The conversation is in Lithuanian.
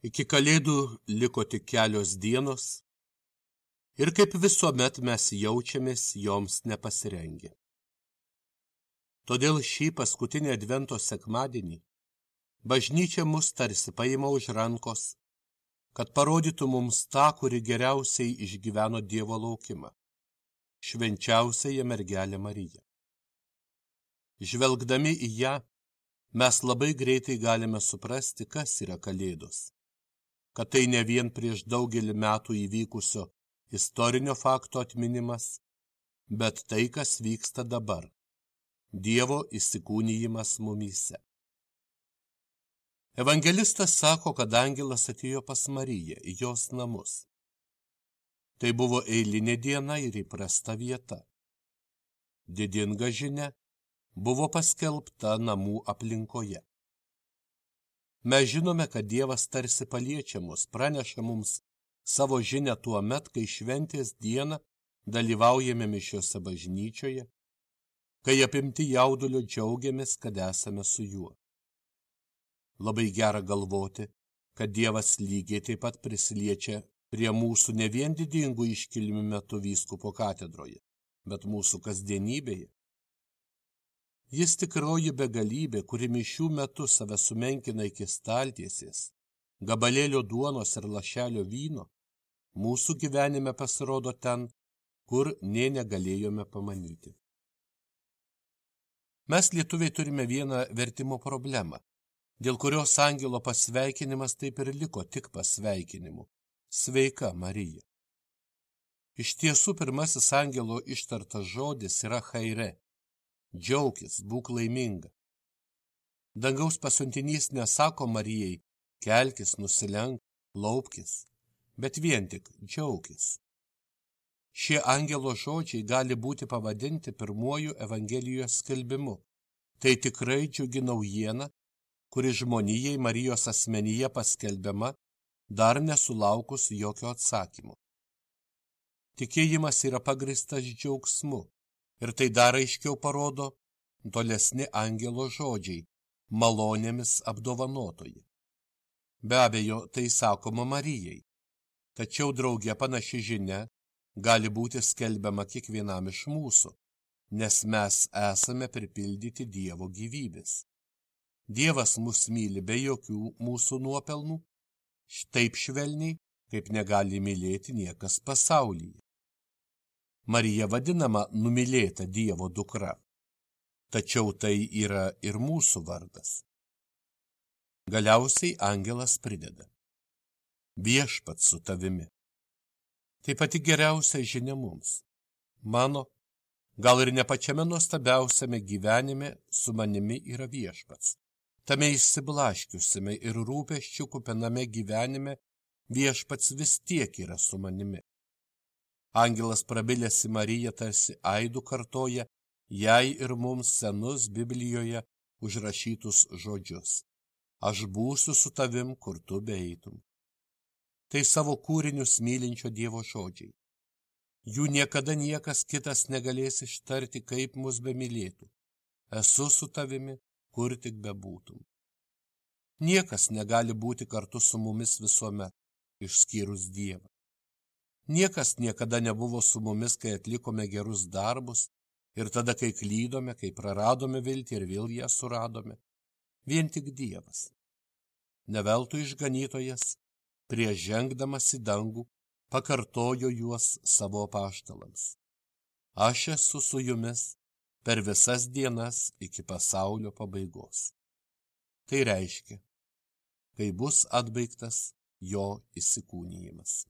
Iki Kalėdų liko tik kelios dienos ir kaip visuomet mes jaučiamės joms nepasirengę. Todėl šį paskutinį Advento sekmadienį bažnyčia mus tarsi paima už rankos, kad parodytų mums tą, kuri geriausiai išgyveno Dievo laukimą, švenčiausiąją mergelę Mariją. Žvelgdami į ją, mes labai greitai galime suprasti, kas yra Kalėdos, kad tai ne vien prieš daugelį metų įvykusio istorinio fakto atminimas, bet tai, kas vyksta dabar, Dievo įsikūnijimas mumyse. Evangelistas sako, kad angelas atėjo pas Mariją į jos namus. Tai buvo eilinė diena ir įprasta vieta. Didinga žinia buvo paskelbta namų aplinkoje. Mes žinome, kad Dievas tarsi paliečia mus, praneša mums savo žinią tuo met, kai šventės dieną dalyvaujame mišiose bažnyčioje, kai apimti jaudulio džiaugiamės, kad esame su juo. Labai gera galvoti, kad Dievas lygiai taip pat prisiliečia prie mūsų ne vien didingų iškilmių metu vyskupo katedroje, bet mūsų kasdienybėje. Jis tikroji begalybė, kuri mišių metu save sumenkina iki staltiesės, gabalėlio duonos ir lašelio vyno, mūsų gyvenime pasirodo ten, kur nė negalėjome pamanyti. Mes lietuviai turime vieną vertimo problemą, dėl kurios angelo pasveikinimas taip ir liko tik pasveikinimu. Sveika, Marija. Iš tiesų, pirmasis angelo ištartas žodis yra chaire. Džiaukis, būk laiminga. Dangaus pasiuntinys nesako Marijai, kelkis, nusilenk, laupkis, bet vien tik džiaukis. Šie angelo žodžiai gali būti pavadinti pirmuoju Evangelijos skelbimu. Tai tikrai džiugi naujiena, kuri žmonijai Marijos asmenyje paskelbiama, dar nesulaukus jokio atsakymo. Tikėjimas yra pagristas džiaugsmu. Ir tai dar aiškiau parodo tolesni angelo žodžiai, malonėmis apdovanotoji. Be abejo, tai sakoma Marijai, tačiau drauge panaši žinia gali būti skelbiama kiekvienam iš mūsų, nes mes esame pripildyti Dievo gyvybės. Dievas mus myli be jokių mūsų nuopelnų, taip švelniai, kaip negali mylėti niekas pasaulyje. Marija vadinama numylėta Dievo dukra, tačiau tai yra ir mūsų vardas. Galiausiai angelas prideda: Viešpats su tavimi. Tai pati geriausia žinia mums. Mano, gal ir ne pačiame nuostabiausiame gyvenime su manimi yra Viešpats. Tame išsiblaškiusiame ir rūpesčių kupiname gyvenime Viešpats vis tiek yra su manimi. Angelas prabilęs į Mariją tarsi aidų kartoja jai ir mums senus Biblijoje užrašytus žodžius. Aš būsiu su tavim, kur tu beeitum. Tai savo kūrinius mylinčio Dievo žodžiai. Jų niekada niekas kitas negalės ištarti, kaip mus bemylėtų. Esu su tavimi, kur tik bebūtum. Niekas negali būti kartu su mumis visuomet, išskyrus Dievą. Niekas niekada nebuvo su mumis, kai atlikome gerus darbus ir tada, kai klydome, kai praradome viltį ir vėl ją suradome. Vien tik Dievas. Neveltui išganytojas, prieš žengdamas į dangų, pakartojo juos savo apaštalams. Aš esu su jumis per visas dienas iki pasaulio pabaigos. Tai reiškia, kai bus atbaigtas jo įsikūnijimas.